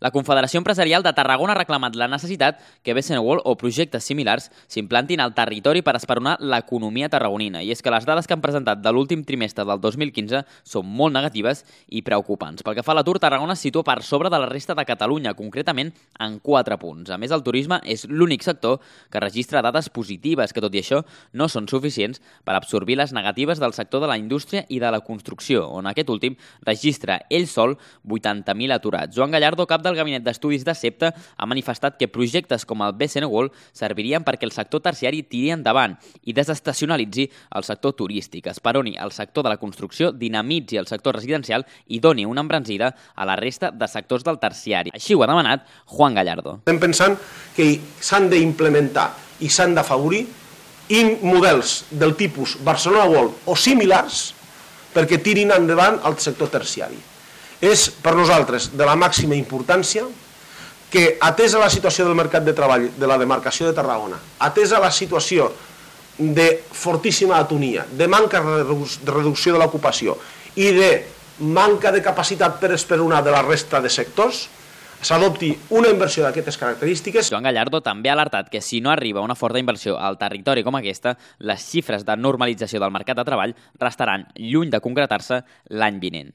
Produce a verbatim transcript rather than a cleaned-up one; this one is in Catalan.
La Confederació Empresarial de Tarragona ha reclamat la necessitat que B S N World o projectes similars s'implantin al territori per esperonar l'economia tarragonina. I és que les dades que han presentat de l'últim trimestre del dos mil quinze són molt negatives i preocupants. Pel que fa a l'atur, Tarragona es situa per sobre de la resta de Catalunya, concretament en quatre punts. A més, el turisme és l'únic sector que registra dades positives, que tot i això no són suficients per absorbir les negatives del sector de la indústria i de la construcció, on aquest últim registra ell sol vuitanta mil aturats. Joan Gallardo, cap del Gabinet d'Estudis de SEPTA, ha manifestat que projectes com el B S N World servirien perquè el sector terciari tiri endavant i desestacionalitzi el sector turístic, esperoni el sector de la construcció, dinamitzi el sector residencial i doni una embranzida a la resta de sectors del terciari. Així ho ha demanat Juan Gallardo. Estem pensant que s'han d'implementar i s'han d'afavorir models del tipus Barcelona World o similars perquè tirin endavant el sector terciari. És per nosaltres de la màxima importància que, atesa la situació del mercat de treball de la demarcació de Tarragona, atesa la situació de fortíssima atonia, de manca de reducció de l'ocupació i de manca de capacitat per esperonar de la resta de sectors, s'adopti una inversió d'aquestes característiques. Joan Gallardo també ha alertat que si no arriba una forta inversió al territori com aquesta, les xifres de normalització del mercat de treball restaran lluny de concretar-se l'any vinent.